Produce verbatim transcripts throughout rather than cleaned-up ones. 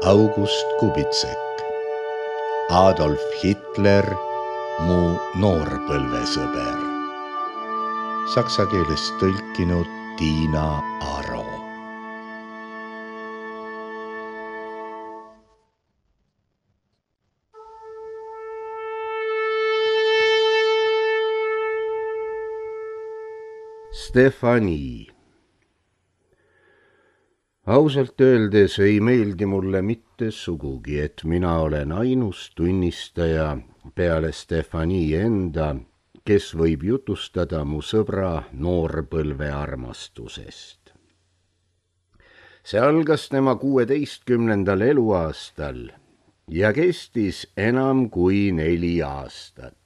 August Kubitsek, Adolf Hitler, mu noorpõlvesõber. Saksa keelest tõlkinud Tiina Aro. Stefani. Ausalt öeldes ei meeldi mulle mitte sugugi, et mina olen ainus tunnistaja peale Stefani enda, kes võib jutustada mu sõbra noorpõlve armastusest. See algas tema kuueteistkümnendal eluaastal ja kestis enam kui neli aastat.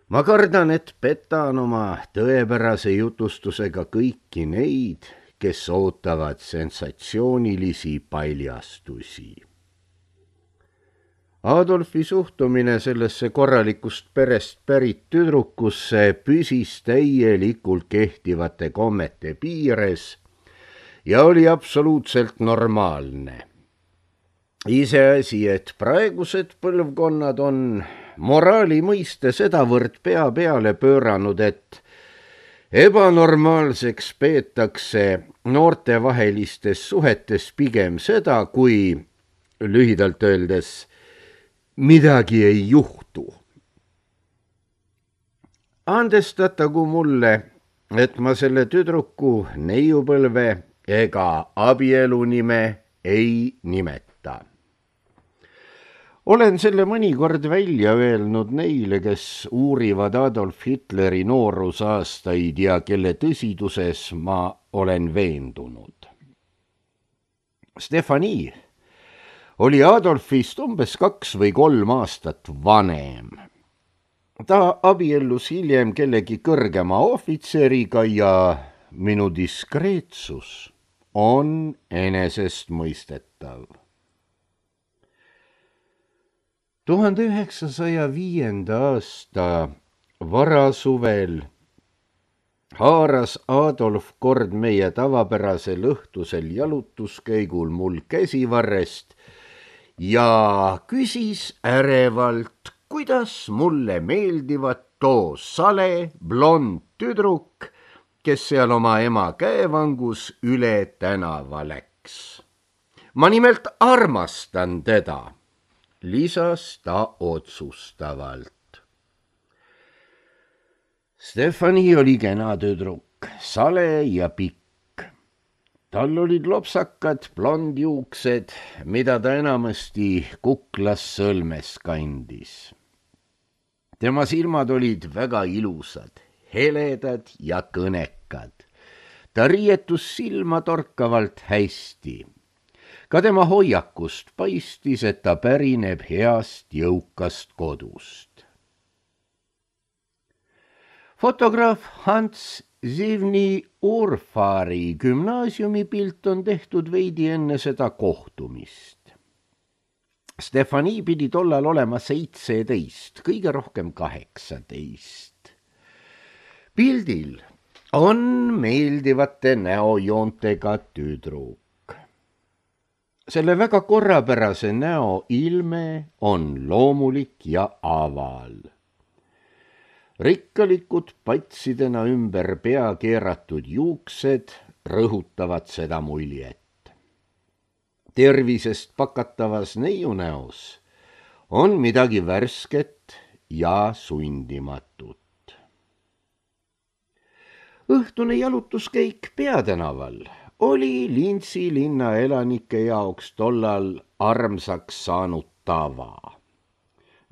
Ma kardan, et petan oma tõepärase jutustusega kõiki neid, kes ootavad sensatsioonilisi paljastusi. Adolfi suhtumine sellesse korralikust perest pärit tüdrukusse püsis täielikult kehtivate kommete piires ja oli absoluutselt normaalne. Iseasi, et praegused põlvkonnad on moraali mõiste sedavõrd pea peale pööranud, et ebanormaalseks peetakse noortevahelistes suhetes pigem seda, kui lühidalt öeldes midagi ei juhtu. Andestatagu mulle, et ma selle tüdruku neiupõlve ega abielu nime ei nimeta. Olen selle mõnikord välja öelnud neile, kes uurivad Adolf Hitleri noorusaastaid ja kelle tõsiduses ma olen veendunud. Stefani oli Adolfist umbes kaks või kolm aastat vanem. Ta abiellus hiljem kellegi kõrgema ohvitseriga ja minu diskreetsus on enesestmõistetav. tuhande üheksasaja viienda aasta varasuvel haaras Adolf kord meie tavapärasel õhtusel jalutuskäigul mul käsivarrest ja küsis ärevalt, kuidas mulle meeldivad too sale blond tüdruk, kes seal oma ema käevangus üle tänava läks. Ma nimelt armastan teda, lisas ta otsustavalt. Stefani oli kena tüdruk, sale ja pikk. Tal olid lopsakad blondjuuksed, mida ta enamasti kuklas sõlmes kandis. Tema silmad olid väga ilusad, heledad ja kõnekad. Ta riietus silma torkavalt hästi. Ka tema hoiakust paistis, et ta pärineb heast jõukast kodust. Fotograaf Hans Zivni Urfaari gümnaasiumi pilt on tehtud veidi enne seda kohtumist. Stefani pidi tollal olema seitseteist, kõige rohkem kaheksateist. Pildil on meeldivate näojoontega tüdruk. Selle väga korrapärase näo ilme on loomulik ja aval. Rikkalikud patsidena ümber pea keeratud juuksed rõhutavad seda muljet. Tervisest pakatavas neiunäos on midagi värsket ja sundimatut. Õhtune jalutuskäik Peatänaval oli Linzi linna elanike jaoks tollal armsaks saanud tava.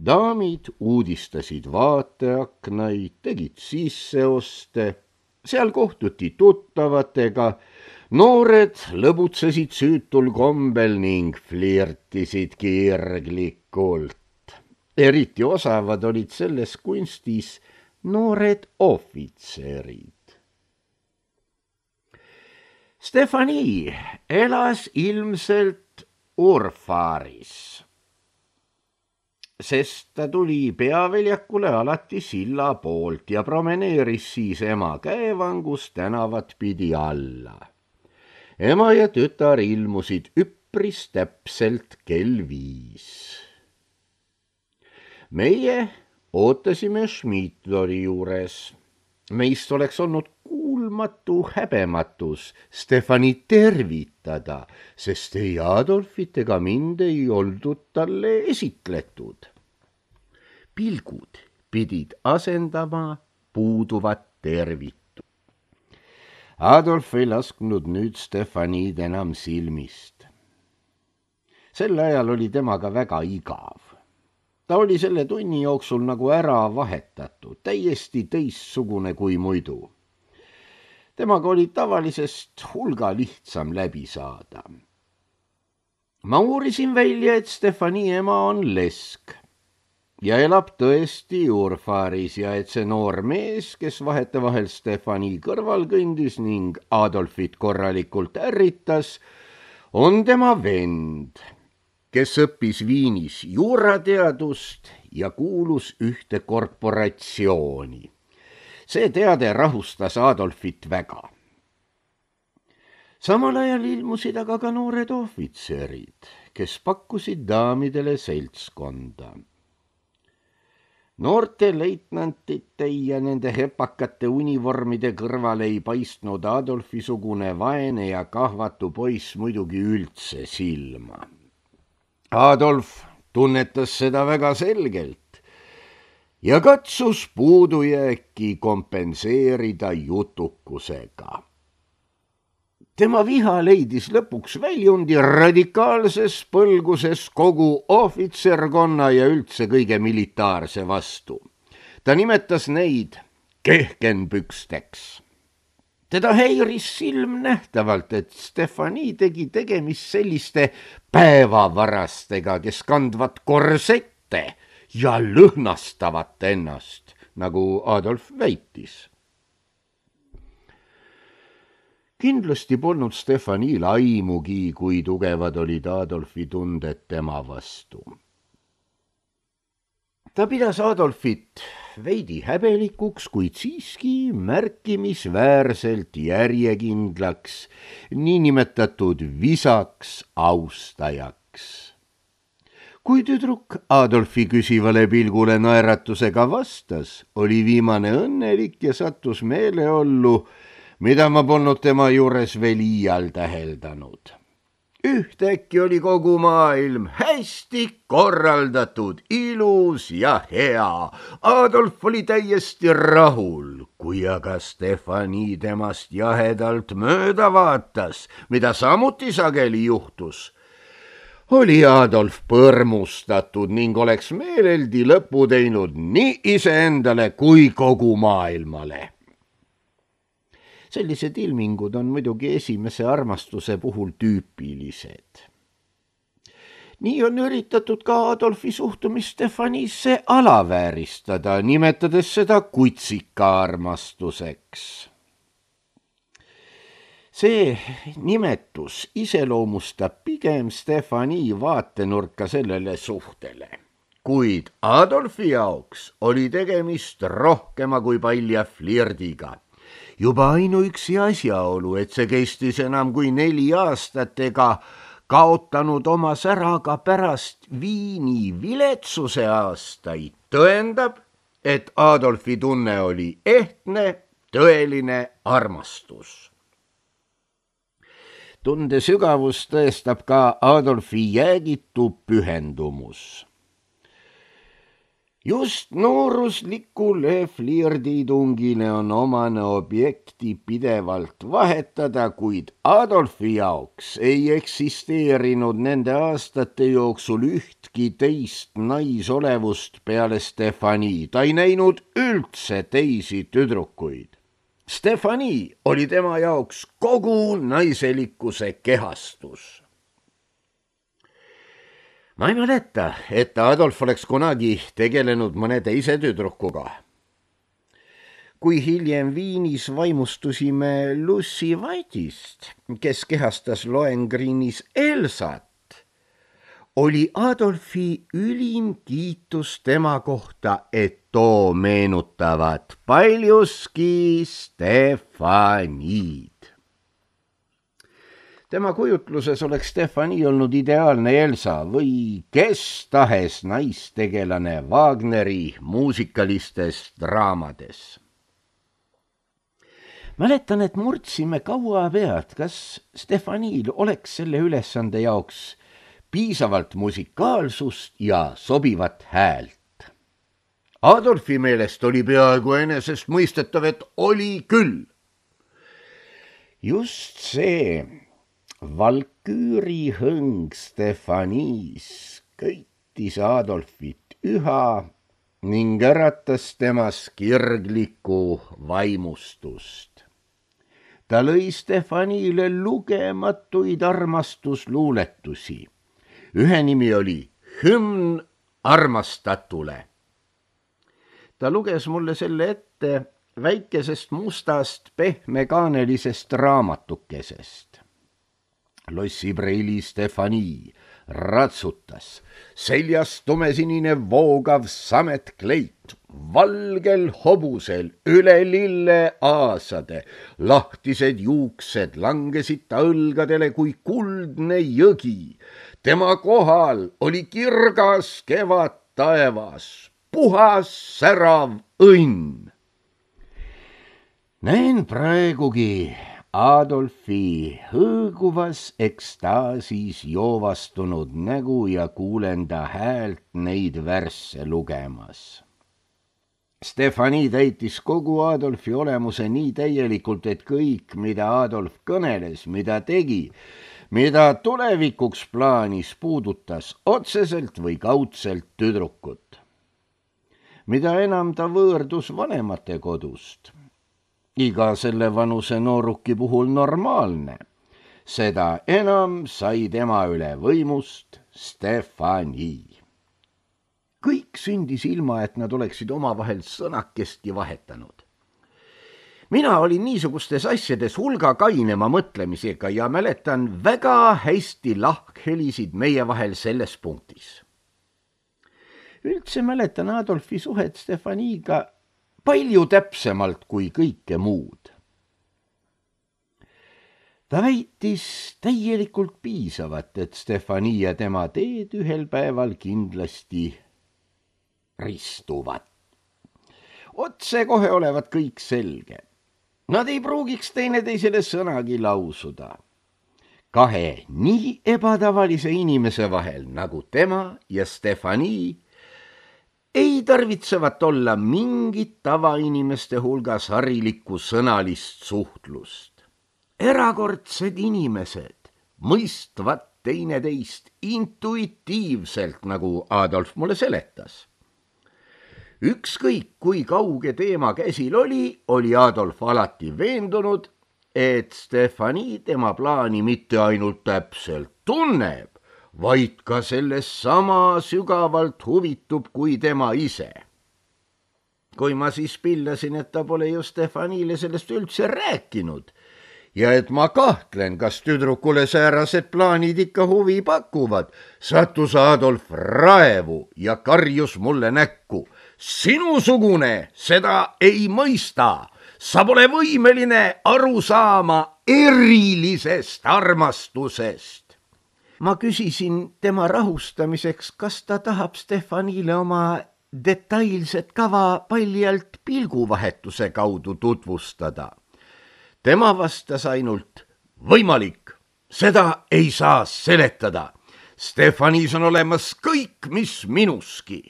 Daamid uudistasid vaateaknaid, tegid sisseoste, seal kohtuti tuttavatega, noored lõbutsesid süütul kombel ning flirtisid kirglikult. Eriti osavad olid selles kunstis noored ohvitserid. Stefani elas ilmselt Urfaaris, sest ta tuli Peaväljakule alati silla poolt ja promeneeris siis ema käevangus tänavat pidi alla. ema ja tütar ilmusid üpp üpris täpselt kell viis. Meie ootasime Schmidlori juures. Meist oleks olnud kuulmatu häbematus Stefani tervitada, sest ei Adolfit ega mind ei oldud talle esitletud. Pilgud pidid asendama puuduvat tervitu. Adolf ei lasknud nüüd Stefanid enam silmist. Sel ajal oli temaga väga igav. Ta oli selle tunni jooksul nagu ära vahetatud, täiesti teistsugune kui muidu. Temaga oli tavalisest hulga lihtsam läbi saada. Ma uurisin välja, et Stefani ema on lesk ja elab tõesti Urfaris ja et see noor mees, kes vahetevahel Stefani kõrval kõndis ning Adolfit korralikult ärritas, on tema vend, kes õppis Viinis juurateadust ja kuulus ühte korporatsiooni. See teade rahustas Adolfit väga. Samal ajal ilmusid aga ka noored ohvitserid, kes pakkusid daamidele seltskonda. Noorte leitnantite ja nende hepakate univormide kõrval ei paistnud Adolfi-sugune vaene ja kahvatu poiss muidugi üldse silma. Adolf tunnetas seda väga selgelt ja katsus puudujääki kompenseerida jutukusega. Tema viha leidis lõpuks väljundi radikaalses põlguses kogu ohvitserkonna ja üldse kõige militaarse vastu. Ta nimetas neid kehkenpüksteks. Teda häiris silmnähtavalt, et Stefani tegi tegemist selliste päevavarastega, kes kandvad korsette ja lõhnastavat ennast, nagu Adolf väitis. Kindlasti polnud Stefanil aimugi, kui tugevad olid Adolfi tunded tema vastu. Ta pidas Adolfit veidi häbelikuks, kuid siiski märkimisväärselt järjekindlaks, niinimetatud visaks austajaks. Kui tüdruk Adolfi küsivale pilgule naeratusega vastas, oli viimane õnnelik ja sattus meeleollu, mida ma polnud tema juures veel iial täheldanud. Ühtäkki oli kogu maailm hästi korraldatud, ilus ja hea. Adolf oli täiesti rahul, kui aga Stefani temast jahedalt mööda vaatas, mida samuti sageli juhtus. Oli Adolf põrmustatud ning oleks meeleldi lõpu teinud nii iseendale kui kogu maailmale. Sellised ilmingud on muidugi esimese armastuse puhul tüüpilised. Nii on üritatud ka Adolfi suhtumist Stefanisse alavääristada, nimetades seda kutsika armastuseks. See nimetus iseloomustab pigem Stefani vaatenurka sellele suhtele. Kuid Adolfi jaoks oli tegemist rohkema kui palja flirdiga. Juba ainuüksi asjaolu, et see kestis enam kui neli aastat ega kaotanud oma säraga pärast Viini viletsuse aastaid, tõendab, et Adolfi tunne oli ehtne, tõeline armastus. Tunde sügavus tõestab ka Adolfi jäägitu pühendumus. Just nooruslikule flirditungile on omane objekti pidevalt vahetada, kuid Adolfi jaoks ei eksisteerinud nende aastate jooksul ühtki teist naisolevust peale Stefani. Ta ei näinud üldse teisi tüdrukuid. Stefani oli tema jaoks kogu naiselikkuse kehastus. Ma ei mäleta, et Adolf oleks kunagi tegelenud mõne teise tüdrukuga. Kui hiljem Viinis vaimustusime Lucy White'ist, kes kehastas Lohengrinis Elsat, oli Adolfi ülim kiitus tema kohta, et too meenutavad paljuski Stefanid. Tema kujutluses oleks Stefani olnud ideaalne Elsa või kes tahes naistegelane Wagneri muusikalistes draamades. Mäletan, et murdsime kaua pead, kas Stefanil oleks selle ülesande jaoks piisavalt musikaalsust ja sobivat häält. Adolfi meelest oli peaaegu enesest mõistetav, et oli küll. Just see valküüri hõng Stefanis köitis Adolfit üha ning äratas temas kirglikku vaimustust. Ta lõi Stefanile lugematuid armastusluuletusi. Ühe nimi oli Hümn armastatule. Ta luges mulle selle ette väikesest mustast pehmekaanelisest raamatukesest. Lossi preili Stefani ratsutas, seljas tumesinine voogav sametkleit, valgel hobusel üle lille aasade, lahtised juuksed langesid ta õlgadele kui kuldne jõgi. Tema kohal oli kirgas kevad taevas, puhas särav õnn. Näen praegugi Adolfi hõõguvas ekstaasis joovastunud nägu ja kuulen ta häält neid värsse lugemas. Stefani täitis kogu Adolfi olemuse nii täielikult, et kõik, mida Adolf kõneles, mida tegi, mida tulevikuks plaanis puudutas otseselt või kaudselt tüdrukut. Mida enam ta võõrdus vanemate kodust, iga selle vanuse nooruki puhul normaalne, seda enam sai tema üle võimust Stefani. Kõik sündis ilma, et nad oleksid omavahel sõnakestki vahetanud. Mina olin niisugustes asjades hulga kainema mõtlemisega ja mäletan väga hästi lahkhelisid meie vahel selles punktis. Üldse mäletan Adolfi suhet Stefaniga palju täpsemalt kui kõike muud. Ta väitis täielikult piisavat, et Stefani ja tema teed ühel päeval kindlasti ristuvad. Otse kohe olevat kõik selge. Nad ei pruugiks teineteisele sõnagi lausuda. Kahe nii ebatavalise inimese vahel nagu tema ja Stefani ei tarvitsevat olla mingit tavainimeste hulgas harilikku sõnalist suhtlust. Erakordsed inimesed mõistvad teineteist intuitiivselt, nagu Adolf mulle seletas. Ükskõik kui kauge teema käsil oli, oli Adolf alati veendunud, et Stefani tema plaani mitte ainult täpselt tunneb, vaid ka sellest sama sügavalt huvitub kui tema ise. Kui ma siis pillasin, et ta pole ju Stefanile sellest üldse rääkinud ja et ma kahtlen, kas tüdrukule säärased plaanid ikka huvi pakuvad, sattus Adolf raevu ja karjus mulle näkku. Sinusugune seda ei mõista, sa pole võimeline aru saama erilisest armastusest. Ma küsisin tema rahustamiseks, kas ta tahab Stefanile oma detailset kava paljalt pilguvahetuse kaudu tutvustada. Tema vastas ainult, võimalik, seda ei saa seletada. Stefanis on olemas kõik, mis minuski.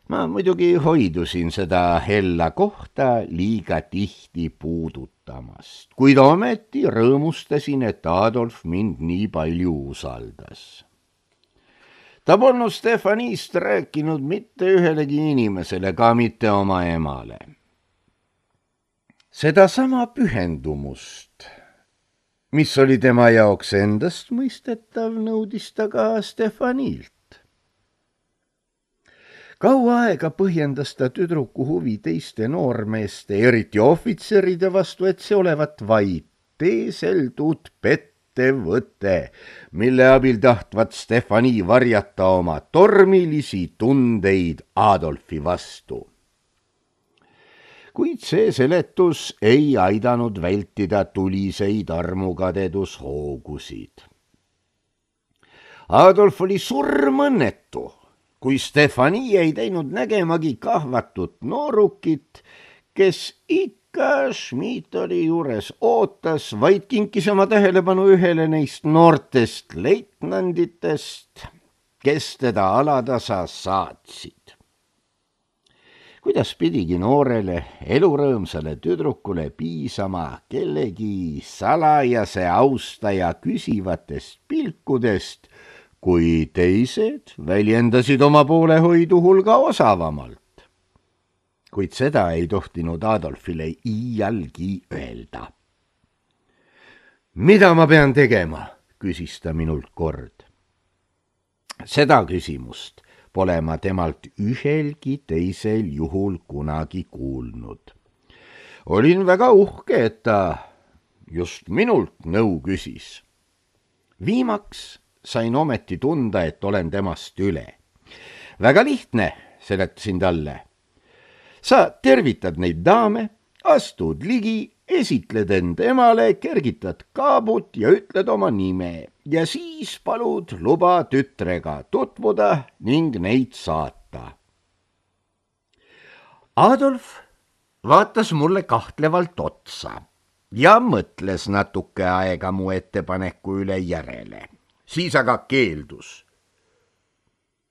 Ma muidugi hoidusin seda hella kohta liiga tihti puudutamast, kuid ometi rõõmustasin, et Adolf mind nii palju usaldas. Ta polnud Stefanist rääkinud mitte ühelegi inimesele, ka mitte oma emale. Seda sama pühendumust, mis oli tema jaoks endast mõistetav, nõudis ta ka Stefanilt. Kaua aega põhjendas ta tüdruku huvi teiste noormeeste, eriti ohvitseride vastu, et see olevat vaid teeseldud pettevõte, mille abil tahtvat Stefani varjata oma tormilisi tundeid Adolfi vastu. kuid see seletus ei aidanud vältida tuliseid armukadedus-hoogusid. Adolf oli surmõnnetu, kui Stefani ei teinud nägemagi kahvatut noorukit, kes ikka Schmidtali juures ootas, vaid kinkis oma tähelepanu ühele neist noortest leitnanditest, kes teda alatasa saatsid. Kuidas pidigi noorele elurõõmsale tüdrukule piisama kellegi salajase austaja küsivatest pilkudest, kui teised väljendasid oma poolehoidu hulga osavamalt. Kuid seda ei tohtinud Adolfile iialgi öelda. Mida ma pean tegema, küsis ta minult kord. Seda küsimust pole ma temalt ühelgi teisel juhul kunagi kuulnud. Olin väga uhke, et ta just minult nõu küsis. Viimaks sain ometi tunda, et olen temast üle. Väga lihtne, seletasin talle. Sa tervitad neid daame, astud ligi, esitled end emale, kergitad kaabut ja ütled oma nime ja siis palud luba tütrega tutvuda ning neid saata. Adolf vaatas mulle kahtlevalt otsa ja mõtles natuke aega mu ettepaneku üle järele. Siis aga keeldus.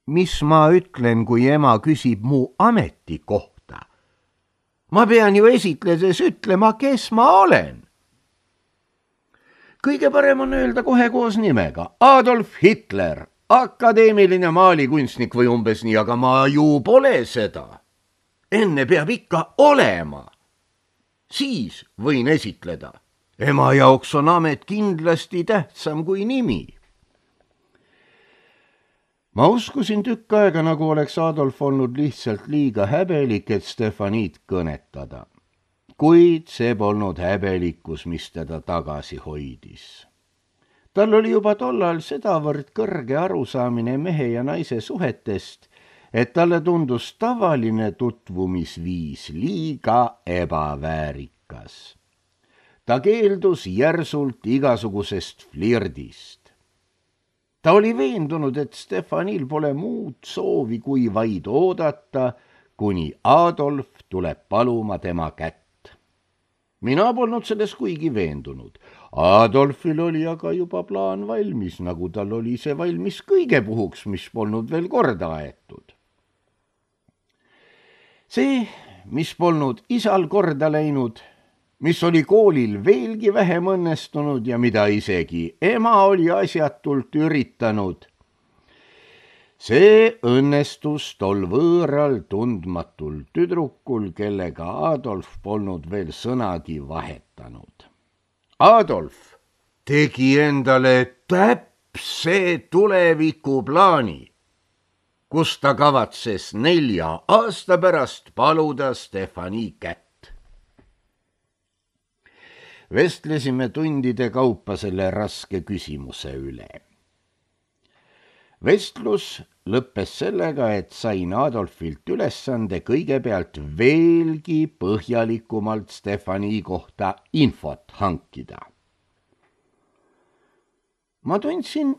Mis ma ütlen, kui ema küsib mu ametikohta? Ma pean ju esitledes ütlema, kes ma olen. Kõige parem on öelda kohe koos nimega. Adolf Hitler, akadeemiline maalikunstnik või umbes nii, aga ma ju pole seda. Enne peab ikka olema. Siis võin esitleda. Ema jaoks on amet kindlasti tähtsam kui nimi. Ma uskusin tükk aega, nagu oleks Adolf olnud lihtsalt liiga häbelik, et Stefaniid kõnetada. Kuid see polnud häbelikkus, mis teda tagasi hoidis. Tal oli juba tollal sedavõrd kõrge arusaamine mehe ja naise suhetest, et talle tundus tavaline tutvumisviis liiga ebaväärikas. Ta keeldus järsult igasugusest flirdist. Ta oli veendunud, et Stefanil pole muud soovi kui vaid oodata, kuni Adolf tuleb paluma tema kätt. Mina polnud selles kuigi veendunud. Adolfil oli aga juba plaan valmis, nagu tal oli see valmis kõige puhuks, mis polnud veel korda aetud. See, mis polnud isal korda läinud, mis oli koolil veelgi vähem õnnestunud ja mida isegi ema oli asjatult üritanud. See õnnestus tol võõral tundmatul tüdrukul, kellega Adolf polnud veel sõnagi vahetanud. Adolf tegi endale täpse tulevikuplaani, kus ta kavatses nelja aasta pärast paluda Stefani kätt. Vestlesime tundide kaupa selle raske küsimuse üle. Vestlus lõppes sellega, et sain Adolfilt ülesande kõigepealt veelgi põhjalikumalt Stefani kohta infot hankida. Ma tundsin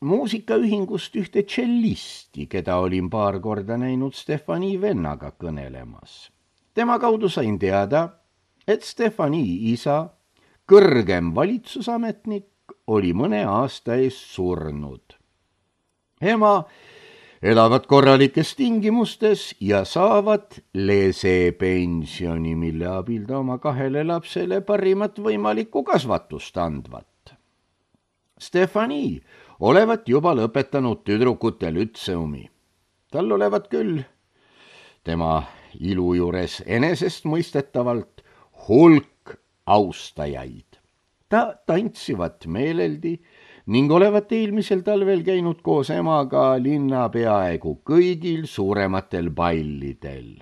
muusikaühingust ühte tšellisti, keda olin paar korda näinud Stefani vennaga kõnelemas. Tema kaudu sain teada, et Stefani isa, kõrgem valitsusametnik, oli mõne aasta eest surnud. Ema elavad korralikes tingimustes ja saavad lesepensioni, mille abil ta oma kahele lapsele parimat võimalikku kasvatust andvat. Stefani olevat juba lõpetanud tüdrukute lütseumi. Tal olevat küll tema ilu juures enesestmõistetavalt hulk austajaid. Ta tantsivat meeleldi ning olevat eelmisel talvel käinud koos emaga linna peaaegu kõigil suurematel ballidel.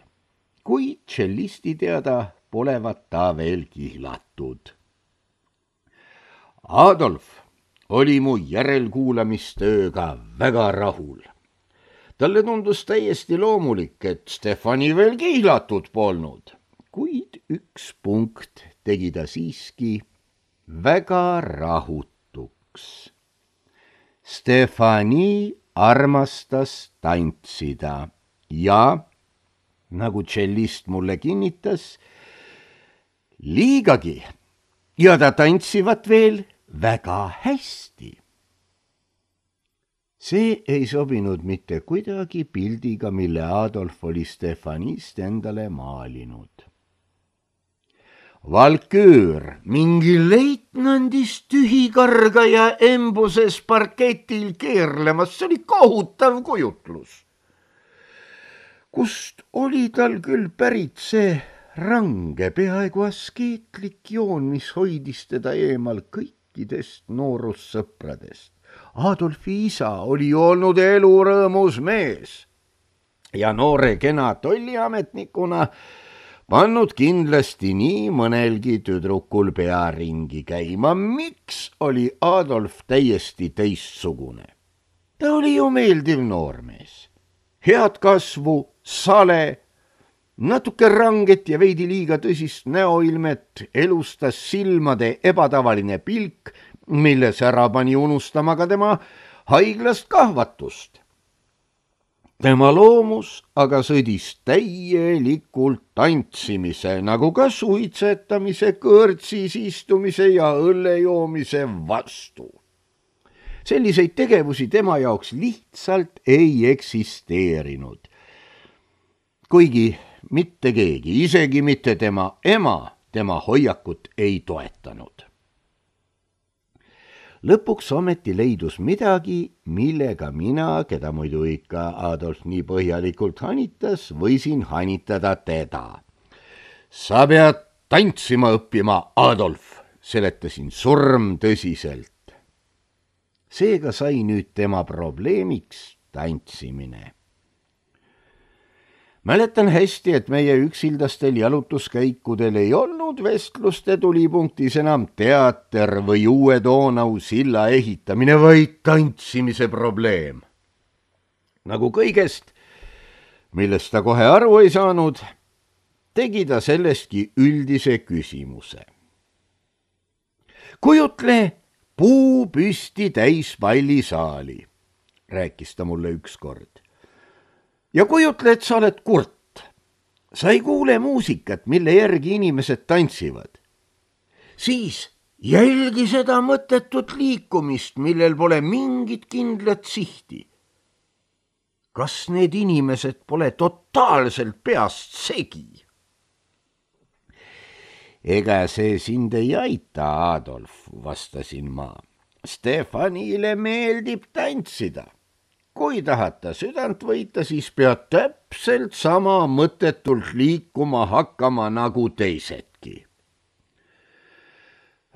Kui tšellisti teada polevat ta veel kihlatud. Adolf oli mu järelkuulamistööga väga rahul. Talle tundus täiesti loomulik, et Stefani veel kihlatud polnud. kuid üks punkt tegi ta siiski väga rahutuks. Stefani armastas tantsida ja, nagu tšellist mulle kinnitas, liigagi ja ta tantsivad veel väga hästi. See ei sobinud mitte kuidagi pildiga, mille Adolf oli Stefanist endale maalinud. Valküür, mingi leitnandist tühikargaja embuses parketil keerlemas, see oli kohutav kujutlus. Kust oli tal küll pärit see range, peaaegu askeetlik joon, mis hoidis teda eemal kõikidest noorussõpradest. Adolfi isa oli olnud elurõõmus mees ja noore kena tolliametnikuna pannud kindlasti nii mõnelgi tüdrukul pea ringi käima. Miks oli Adolf täiesti teistsugune? Ta oli ju meeldiv noormees. Head kasvu, sale, natuke ranget ja veidi liiga tõsist näoilmet, elustas silmade ebatavaline pilk, milles ära pani unustama ka tema haiglast kahvatust. Tema loomus aga sõdis täielikult tantsimise, nagu ka suitsetamise, kõrtsis istumise ja õllejoomise vastu. Selliseid tegevusi tema jaoks lihtsalt ei eksisteerinud. Kuigi mitte keegi, isegi mitte tema ema, tema hoiakut ei toetanud. Lõpuks ometi leidus midagi, millega mina, keda muidu ikka Adolf nii põhjalikult hanitas, võisin hanitada teda. Sa pead tantsima õppima, Adolf, seletasin surm tõsiselt. Seega sai nüüd tema probleemiks tantsimine. Mäletan hästi, et meie üksildastel jalutuskäikudel ei olnud vestluste tulipunktis enam teater või uue Donau silla ehitamine, vaid tantsimise probleem. Nagu kõigest, millest ta kohe aru ei saanud, tegi ta sellestki üldise küsimuse. Kujutle puu püsti täis pallisaali, rääkis ta mulle ükskord. Ja kujutle, et sa oled kurt. Sa ei kuule muusikat, mille järgi inimesed tantsivad. Siis jälgi seda mõttetut liikumist, millel pole mingit kindlat sihti. Kas need inimesed pole totaalselt peast segi? Ega see sind ei aita, Adolf, vastasin ma. Stefanile meeldib tantsida. Kui tahata südant võita, siis pead täpselt sama mõttetult liikuma hakkama nagu teisedki.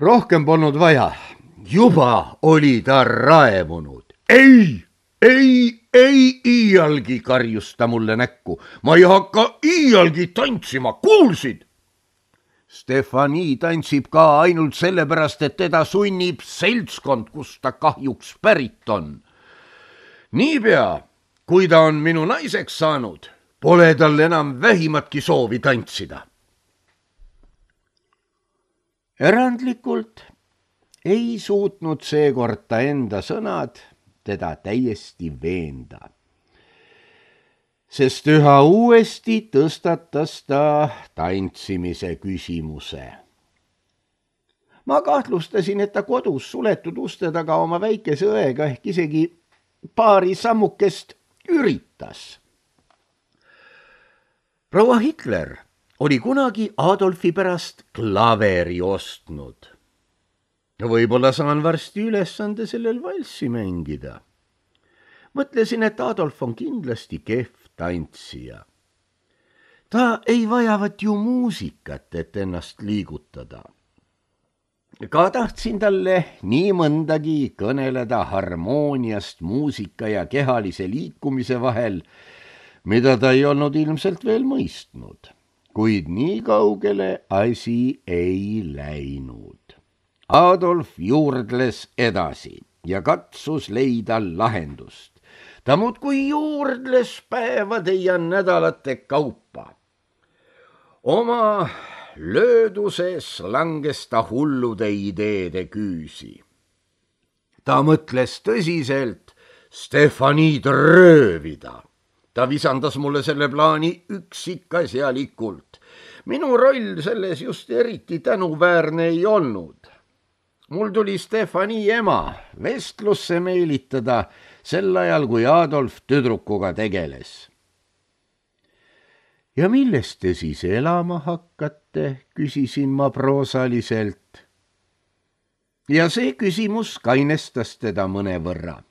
Rohkem polnud vaja. Juba oli ta raevunud. Ei, ei, ei iialgi, karjus ta mulle näkku. Ma ei hakka iialgi tantsima, kuulsid? Stefani tantsib ka ainult sellepärast, et teda sunnib seltskond, kus ta kahjuks pärit on. Niipea, kui ta on minu naiseks saanud, pole tal enam vähimatki soovi tantsida. Erandlikult ei suutnud seekord ta enda sõnad teda täiesti veenda, sest üha uuesti tõstatas ta tantsimise küsimuse. Ma kahtlustasin, et ta kodus suletud uste taga oma väikese õega ehk isegi paari sammukest üritas. Proua Hitler oli kunagi Adolfi pärast klaveri ostnud. Võib-olla saan varsti ülesande sellel valssi mängida. Mõtlesin, et Adolf on kindlasti kehv tantsija. Ta ei vajavat ju muusikat, et ennast liigutada. Ka tahtsin talle nii mõndagi kõneleda harmooniast muusika ja kehalise liikumise vahel, mida ta ei olnud ilmselt veel mõistnud, kuid nii kaugele asi ei läinud. Adolf juurdles edasi ja katsus leida lahendust. Ta muudkui juurdles päevade ja nädalate kaupa. oma lööduses langes ta hullude ideede küüsi. ta mõtles tõsiselt Stefaniid röövida. ta visandas mulle selle plaani üksikasjalikult. minu roll selles just eriti tänuväärne ei olnud. mul tuli Stefani ema vestlusse meelitada sel ajal, kui Adolf tüdrukuga tegeles. ja millest te siis elama hakkate, küsisin ma proosaliselt. ja see küsimus kainestas teda mõnevõrra.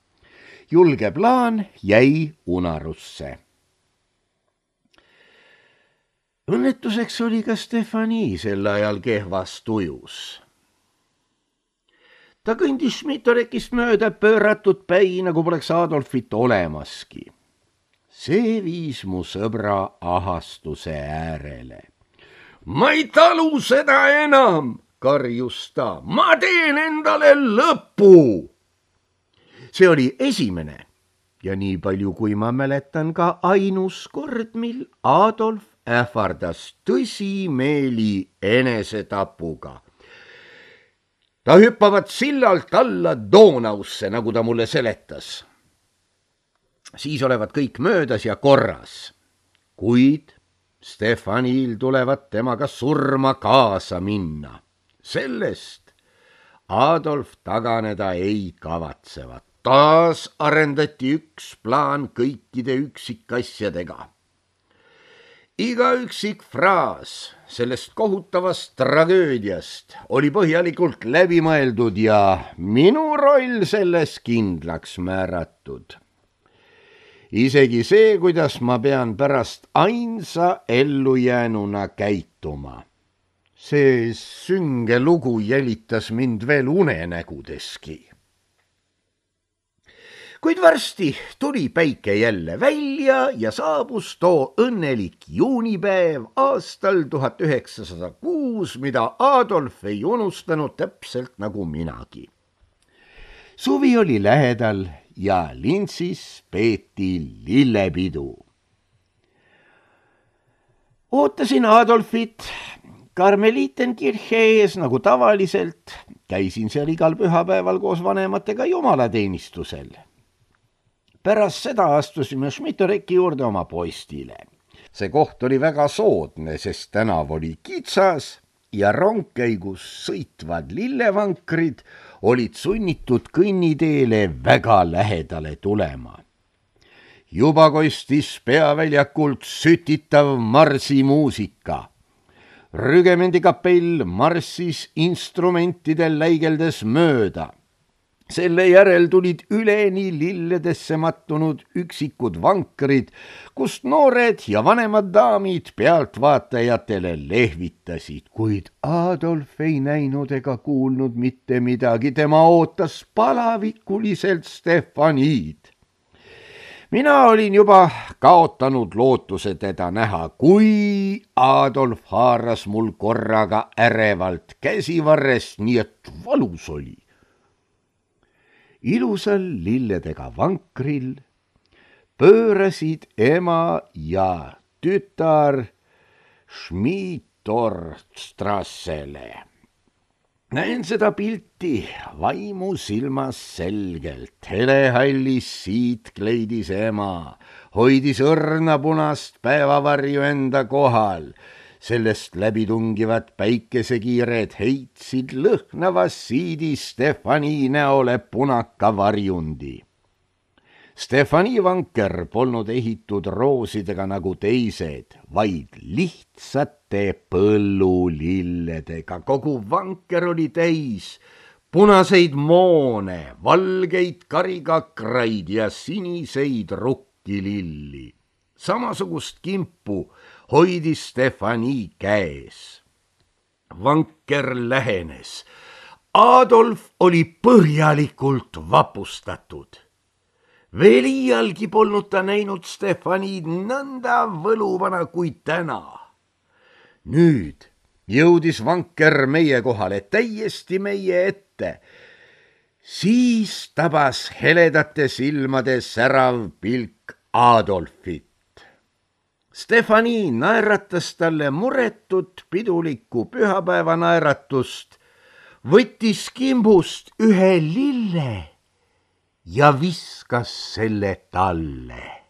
julge plaan jäi unarusse. õnnetuseks oli ka Stefani sel ajal kehvas tujus. ta kõndis Schmidtorekist mööda pööratud päi, nagu poleks Adolfit olemaski. see viis mu sõbra ahastuse äärele. ma ei talu seda enam, karjus ta, ma teen endale lõpu. see oli esimene ja nii palju, kui ma mäletan, ka ainus kord, mil Adolf ähvardas tõsimeeli enesetapuga. ta hüppavad sillalt alla Donausse, nagu ta mulle seletas. siis olevat kõik möödas ja korras, kuid Stefanil tulevat temaga surma kaasa minna. sellest Adolf taganeda ei kavatsevat. taas arendati üks plaan kõikide üksikasjadega. iga üksik fraas sellest kohutavast tragöödiast oli põhjalikult läbi mõeldud ja minu roll selles kindlaks määratud. isegi see, kuidas ma pean pärast ainsa ellujäänuna käituma. see sünge lugu jälitas mind veel unenägudeski. kuid varsti tuli päike jälle välja ja saabus too õnnelik juunipäev aastal tuhat üheksasada kuus, mida Adolf ei unustanud täpselt nagu minagi. suvi oli lähedal ja Linzis peeti lillepidu. ootasin Adolfit Karmelitenkirche ees nagu tavaliselt. käisin seal igal pühapäeval koos vanematega jumalateenistusel. pärast seda astusime Schmidtoreki juurde oma postile. see koht oli väga soodne, sest tänav oli kitsas ja rongkäigus sõitvad lillevankrid olid sunnitud kõnniteele väga lähedale tulema. juba kostis peaväljakult sütitav marsimuusika. rügemendikapell marssis instrumentidel läigeldes mööda. selle järel tulid üleni lilledesse mattunud üksikud vankrid, kust noored ja vanemad daamid pealtvaatajatele lehvitasid, kuid Adolf ei näinud ega kuulnud mitte midagi, tema ootas palavikuliselt Stefaniid. mina olin juba kaotanud lootuse teda näha, kui Adolf haaras mul korraga ärevalt käsivarrest, nii et valus oli. ilusal lilledega vankril pöörasid ema ja tütar Schmidtorstrassele. näen seda pilti vaimu silmas selgelt. helehallis siit kleidis ema, hoidis õrna punast päevavarju enda kohal. sellest läbitungivad päikesekiired heitsid lõhnavas siidis Stefani näole punaka varjundi. Stefani vanker polnud ehitud roosidega nagu teised, vaid lihtsate põllulilledega. kogu vanker oli täis punaseid moone, valgeid karikakraid ja siniseid rukkililli. samasugust kimpu hoidis Stefani käes. vanker lähenes. Adolf oli põhjalikult vapustatud. veel iialgi polnud ta näinud Stefanid nõnda võluvana kui täna. nüüd jõudis vanker meie kohale, täiesti meie ette. siis tabas heledate silmade särav pilk Adolfit. Stefani naeratas talle muretut pidulikku pühapäeva naeratust, võttis kimbust ühe lille ja viskas selle talle.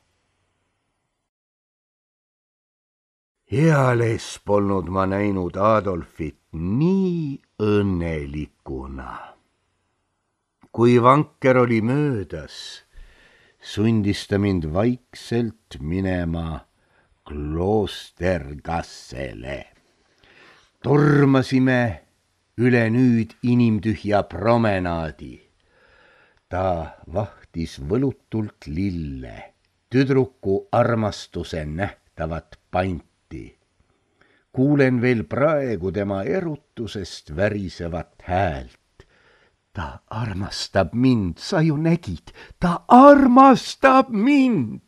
Eales polnud ma näinud Adolfit nii õnnelikuna. Kui vanker oli möödas, sundis ta mind vaikselt minema Kloostergassele. Tormasime üle nüüd inimtühja promenaadi. Ta vahtis võlutult lille, tüdruku armastuse nähtavat panti. Kuulen veel praegu tema erutusest värisevat häält. Ta armastab mind, sa ju nägid, ta armastab mind.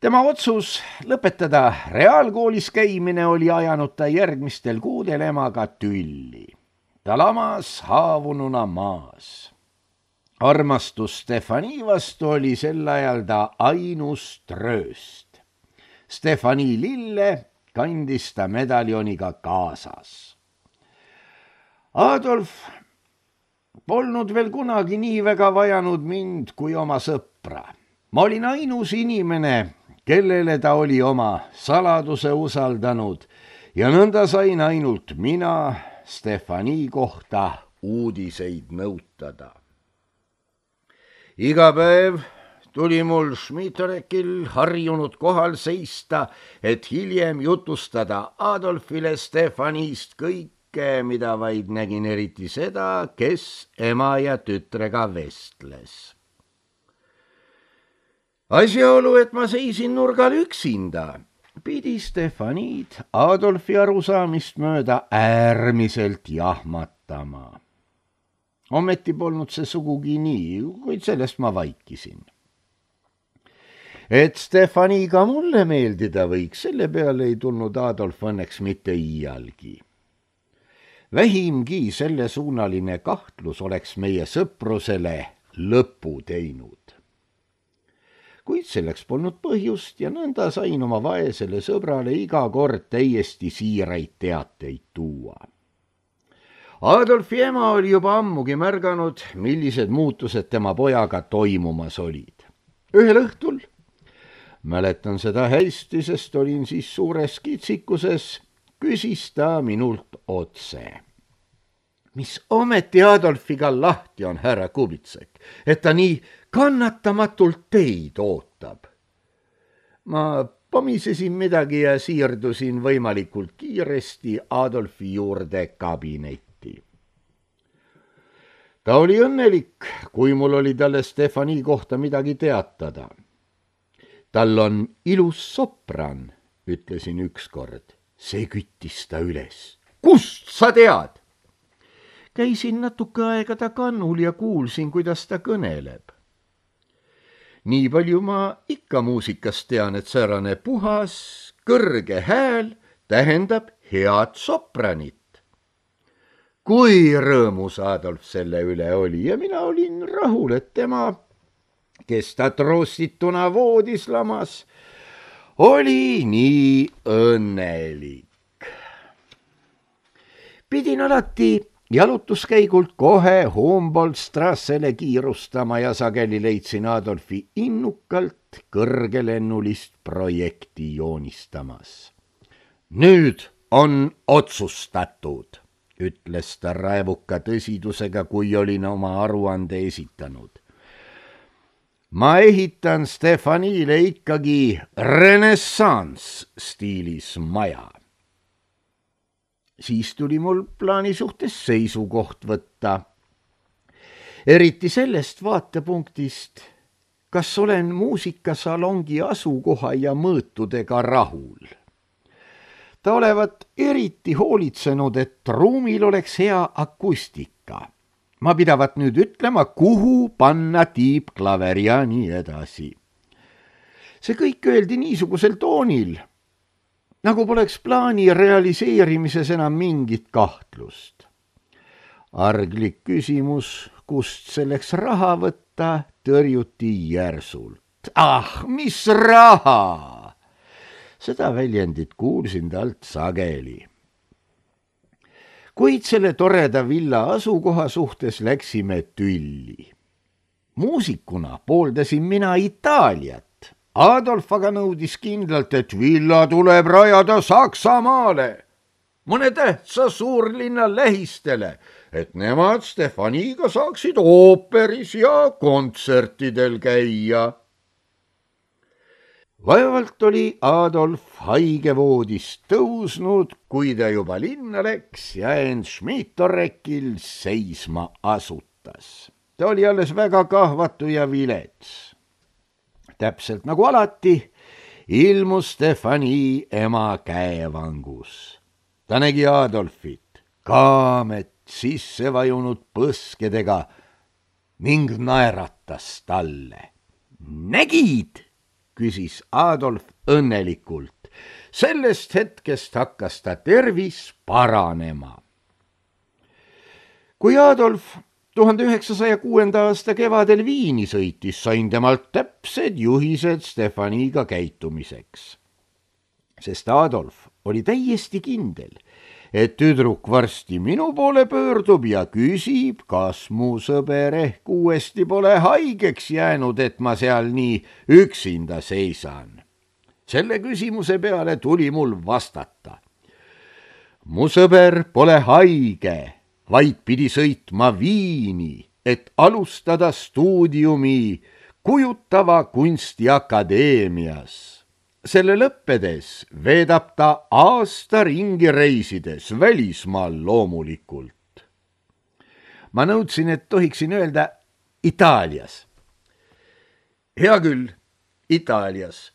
Tema otsus lõpetada reaalkoolis käimine oli ajanud ta järgmistel kuudel emaga tülli. Ta lamas haavununa maas. Armastus Stefani vastu oli sel ajal ta ainus trööst. Stefani lille kandis ta medaljoniga kaasas. Adolf polnud veel kunagi nii väga vajanud mind kui oma sõpra. Ma olin ainus inimene, kellele ta oli oma saladuse usaldanud ja nõnda sain ainult mina Stefani kohta uudiseid nõutada. Iga päev tuli mul Schmidrekil harjunud kohal seista, et hiljem jutustada Adolfile Stefanist kõike, mida vaid nägin, eriti seda, kes ema ja tütrega vestles. Asjaolu, et ma seisin nurgal üksinda, pidi Stefanid Adolfi arusaamist mööda äärmiselt jahmatama. Ometi polnud see sugugi nii, kuid sellest ma vaikisin. Et Stefaniga mulle meeldida võiks, selle peale ei tulnud Adolf õnneks mitte iialgi. Vähimgi sellesuunaline kahtlus oleks meie sõprusele lõpu teinud. Kuid selleks polnud põhjust ja nõnda sain oma vaesele sõbrale iga kord täiesti siiraid teateid tuua. Adolfi ema oli juba ammugi märganud, millised muutused tema pojaga toimumas olid. Ühel õhtul, mäletan seda hästi, sest olin siis suures kitsikuses, küsis ta minult otse. Mis ometi Adolfiga lahti on, härra Kubitsek, et ta nii kannatamatult teid ootab? Ma pomisesin midagi ja siirdusin võimalikult kiiresti Adolfi juurde kabinetti. Ta oli õnnelik, kui mul oli talle Stefani kohta midagi teatada. Tal on ilus sopran, ütlesin ükskord. See küttis ta üles. Kust sa tead? Käisin natuke aega ta kannul ja kuulsin, kuidas ta kõneleb. Nii palju ma ikka muusikast tean, et säärane puhas, kõrge hääl tähendab head sopranit. Kui rõõmus Adolf selle üle oli ja mina olin rahul, et tema, kes ta troostituna voodis lamas, oli nii õnnelik. Pidin alati jalutuskäigult kohe Humboldt-Strassele kiirustama ja sageli leidsin Adolfi innukalt kõrgelennulist projekti joonistamas. Nüüd on otsustatud, ütles ta raevuka tõsidusega, kui olin oma aruande esitanud. Ma ehitan Stefanile ikkagi renessans stiilis maja. Siis tuli mul plaani suhtes seisukoht võtta. Eriti sellest vaatepunktist, kas olen muusikasalongi asukoha ja mõõtudega rahul. Ta olevat eriti hoolitsenud, et ruumil oleks hea akustika. Ma pidavat nüüd ütlema, kuhu panna tiibklaver ja nii edasi. See kõik öeldi niisugusel toonil, nagu poleks plaani realiseerimises enam mingit kahtlust. Arglik küsimus, kust selleks raha võtta, tõrjuti järsult. Ah, mis raha! Seda väljendit kuulsin talt sageli. Kuid selle toreda villa asukoha suhtes läksime tülli. Muusikuna pooldasin mina Itaaliat. Adolf aga nõudis kindlalt, et villa tuleb rajada Saksamaale, mõne tähtsa suurlinna lähistele, et nemad Stefaniga saaksid ooperis ja kontsertidel käia. Vaevalt oli Adolf haigevoodist tõusnud, kui ta juba linna läks ja end Schmidtorekil seisma asutas. Ta oli alles väga kahvatu ja vilets. Täpselt nagu alati ilmus Stefani ema käevangus. Ta nägi Adolfit, kaamet sisse vajunud põskedega ning naeratas talle. Nägid, küsis Adolf õnnelikult. Sellest hetkest hakkas ta tervis paranema. Kui Adolf tuhande üheksasaja kuuenda aasta kevadel Viini sõitis, sain temalt täpsed juhised Stefaniga käitumiseks. Sest Adolf oli täiesti kindel, et tüdruk varsti minu poole pöördub ja küsib, kas mu sõber ehk uuesti pole haigeks jäänud, et ma seal nii üksinda seisan. Selle küsimuse peale tuli mul vastata. Mu sõber pole haige, vaid pidi sõitma Viini, et alustada stuudiumi kujutava kunstiakadeemias. Selle lõppedes veedab ta aasta ringi reisides välismaal loomulikult. Ma nõudsin, et tohiksin öelda Itaalias. Hea küll, Itaalias.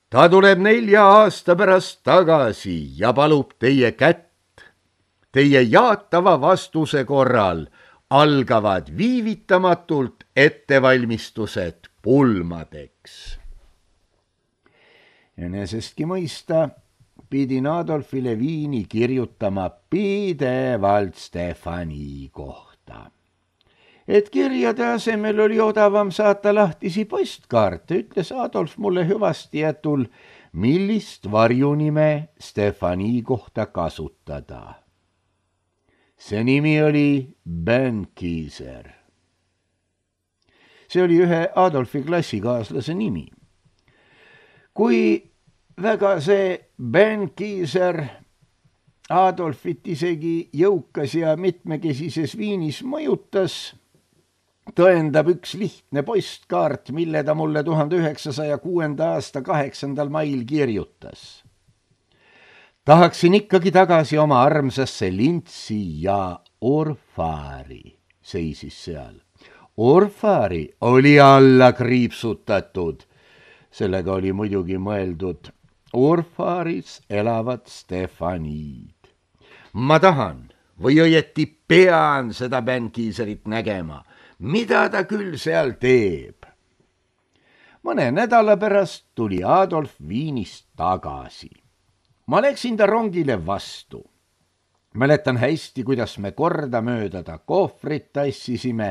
Ta tuleb nelja aasta pärast tagasi ja palub teie kätt. Teie jaatava vastuse korral algavad viivitamatult ettevalmistused pulmadeks. Enesestki mõista pidin Adolfile Viini kirjutama pidevalt Stefani kohta. Et kirjade asemel oli odavam saata lahtisi postkaarte, ütles Adolf mulle hüvasti jätul, millist varjunime Stefani kohta kasutada. See nimi oli Benckiser. See oli ühe Adolfi klassikaaslase nimi. Kui väga see Benckiser Adolfit isegi jõukas ja mitmekesises Viinis mõjutas, tõendab üks lihtne postkaart, mille ta mulle tuhande üheksasaja kuuenda aasta kaheksandal mail kirjutas. Tahaksin ikkagi tagasi oma armsasse Lintsi ja Orfari, seisis seal. Orfari oli alla kriipsutatud. Sellega oli muidugi mõeldud Orfaris elavad Stefaniid. Ma tahan või õieti pean seda Benckiserit nägema, mida ta küll seal teeb. Mõne nädala pärast tuli Adolf Viinist tagasi. Ma läksin ta rongile vastu. Mäletan hästi, kuidas me kordamööda ta kohvrit tassisime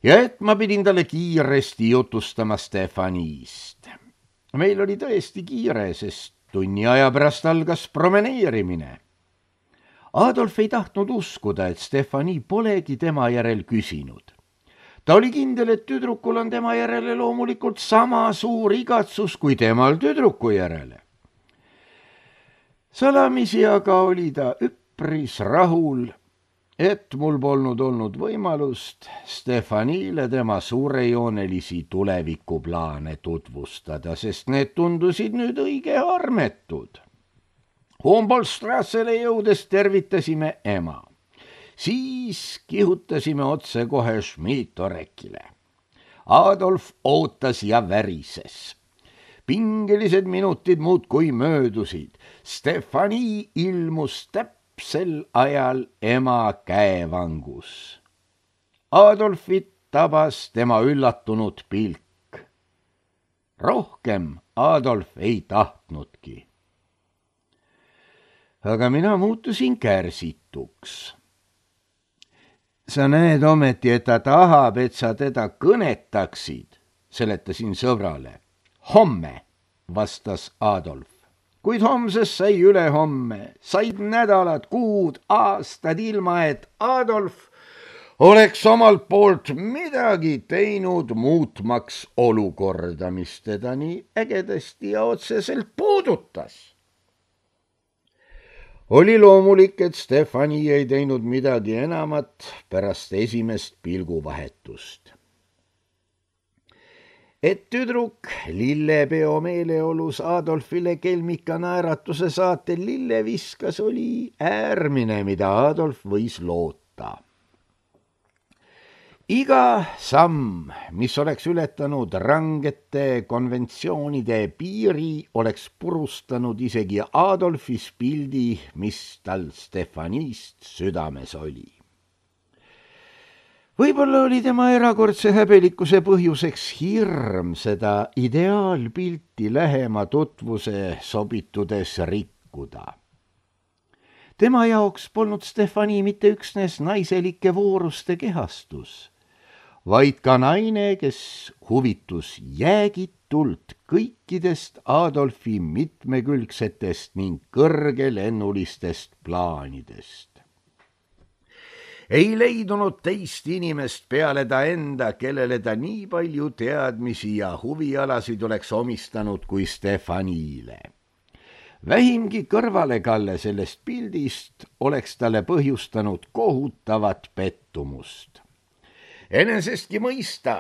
ja et ma pidin talle kiiresti jutustama Stefanist. Meil oli tõesti kiire, sest tunni aja pärast algas promeneerimine. Adolf ei tahtnud uskuda, et Stefani polegi tema järel küsinud. Ta oli kindel, et tüdrukul on tema järele loomulikult sama suur igatsus kui temal tüdruku järele. Salamisi aga oli ta üpris rahul, et mul polnud olnud võimalust Stefanile tema suurejoonelisi tulevikuplaane tutvustada, sest need tundusid nüüd õige armetud. Humboldt-Strassele jõudes tervitasime ema. Siis kihutasime otse kohe Schmidtorekile. Adolf ootas ja värises. Pingelised minutid muudkui möödusid. Stefani ilmus täpsel ajal ema käevangus. Adolfit tabas tema üllatunud pilk. Rohkem Adolf ei tahtnudki. Aga mina muutusin kärsituks. sa näed ometi, et ta tahab, et sa teda kõnetaksid, seletasin sõbrale. Homme, vastas Adolf. Kuid homsest sai ülehomme, said nädalad, kuud, aastad ilma, et Adolf oleks omalt poolt midagi teinud muutmaks olukorda, mis teda nii ägedasti ja otseselt puudutas. Oli loomulik, et Stefani ei teinud midagi enamat pärast esimest pilguvahetust. Et tüdruk lillepeo meeleolus Adolfile kelmika naeratuse saatel lille viskas, oli äärmine, mida Adolf võis loota. Iga samm, mis oleks ületanud rangete konventsioonide piiri, oleks purustanud isegi Adolfis pildi, mis tal Stefanist südames oli. Võib-olla oli tema erakordse häbelikkuse põhjuseks hirm seda ideaalpilti lähema tutvuse sobitudes rikkuda. Tema jaoks polnud Stefani mitte üksnes naiselike vooruste kehastus, vaid ka naine, kes huvitus jäägitult kõikidest Adolfi mitmekülgsetest ning kõrgelennulistest plaanidest. Ei leidunud teist inimest peale ta enda, kellele ta nii palju teadmisi ja huvialasid oleks omistanud kui Stefanile. Vähimgi kõrvalekalle sellest pildist oleks talle põhjustanud kohutavat pettumust. Enesestki mõista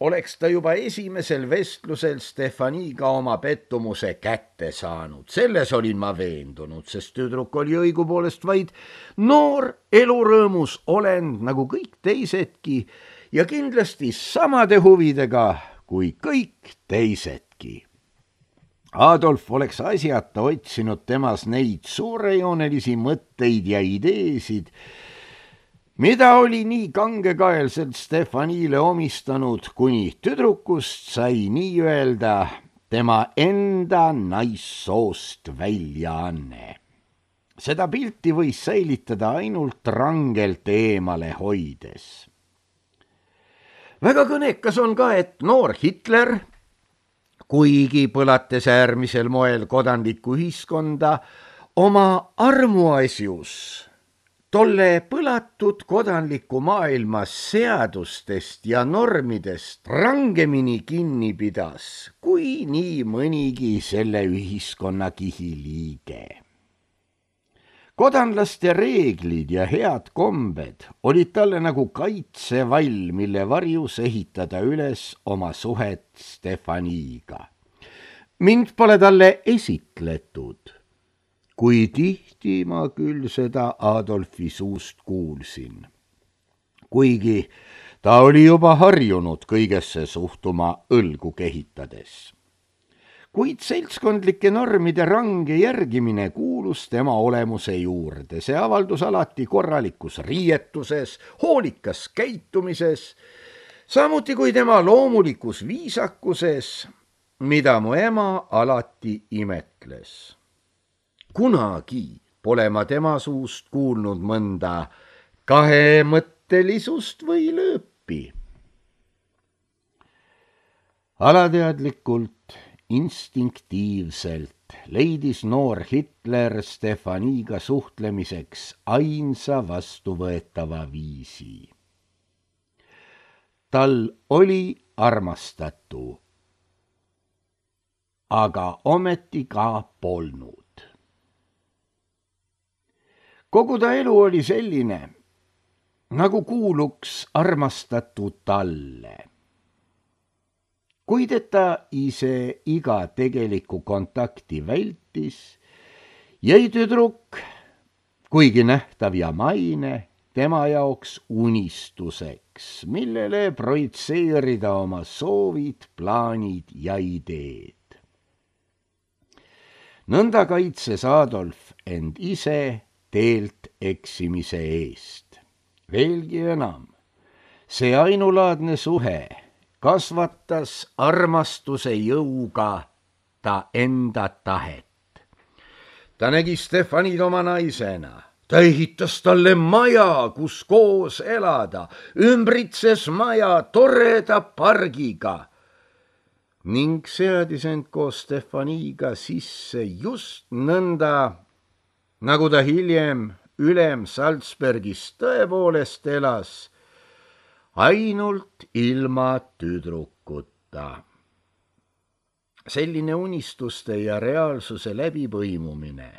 oleks ta juba esimesel vestlusel Stefaniga oma pettumuse kätte saanud. Selles olin ma veendunud, sest tüdruk oli õigupoolest vaid noor elurõõmus olend nagu kõik teisedki ja kindlasti samade huvidega kui kõik teisedki. Adolf oleks asjata otsinud temas neid suurejoonelisi mõtteid ja ideesid, mida oli nii kangekaelselt Stefanile omistanud, kuni tüdrukust sai nii-öelda tema enda naissoost väljaanne. Seda pilti võis säilitada ainult rangelt eemale hoides. Väga kõnekas on ka, et noor Hitler, kuigi põlates äärmisel moel kodanlikku ühiskonda, oma armuasjus tolle põlatud kodanliku maailma seadustest ja normidest rangemini kinni pidas, kui nii mõnigi selle ühiskonnakihi liige. Kodanlaste reeglid ja head kombed olid talle nagu kaitsevall, mille varjus ehitada üles oma suhet Stefaniga. Mind pole talle esitletud, kui tihti ma küll seda Adolfi suust kuulsin. Kuigi ta oli juba harjunud kõigesse suhtuma õlgu kehitades. Kuid seltskondlike normide range järgimine kuulus tema olemuse juurde. See avaldus alati korralikus riietuses, hoolikas käitumises, samuti kui tema loomulikus viisakuses, mida mu ema alati imetles. Kunagi pole ma tema suust kuulnud mõnda kahemõttelisust või lööpi. Alateadlikult, instinktiivselt leidis noor Hitler Stefaniga suhtlemiseks ainsa vastuvõetava viisi. Tal oli armastatu, aga ometi ka polnud. Kogu ta elu oli selline, nagu kuuluks armastatu talle. Kuid et ta ise iga tegelikku kontakti vältis, jäi tüdruk, kuigi nähtav ja maine, tema jaoks unistuseks, millele projitseerida oma soovid, plaanid ja ideed. Nõnda kaitses Adolf end ise teelt eksimise eest. Veelgi enam, see ainulaadne suhe kasvatas armastuse jõuga ta enda tahet. Ta nägi Stefanit oma naisena, ta ehitas talle maja, kus koos elada, ümbritses maja toreda pargiga ning seadis end koos Stefaniga sisse just nõnda, nagu ta hiljem ülem Salzbergis tõepoolest elas, ainult ilma tüdrukuta. Selline unistuste ja reaalsuse läbipõimumine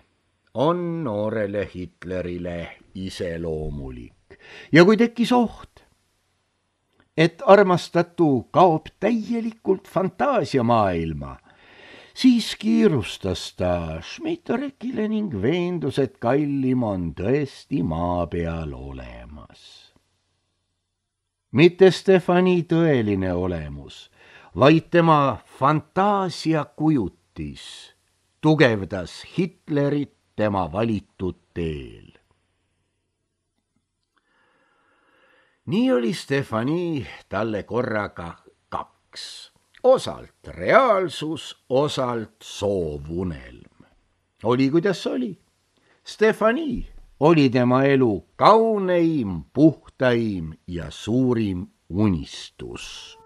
on noorele Hitlerile iseloomulik ja kui tekkis oht, et armastatu kaob täielikult fantaasiamaailma, siis kiirustas ta Schmidrekile ning veendus, et kallim on tõesti maa peal olemas. Mitte Stefani tõeline olemus, vaid tema fantaasia kujutis tugevdas Hitlerit tema valitud teel. Nii oli Stefani talle korraga kaks, osalt reaalsus, osalt soovunelm. Oli kuidas oli. Stefani oli tema elu kauneim, puhtaim ja suurim unistus.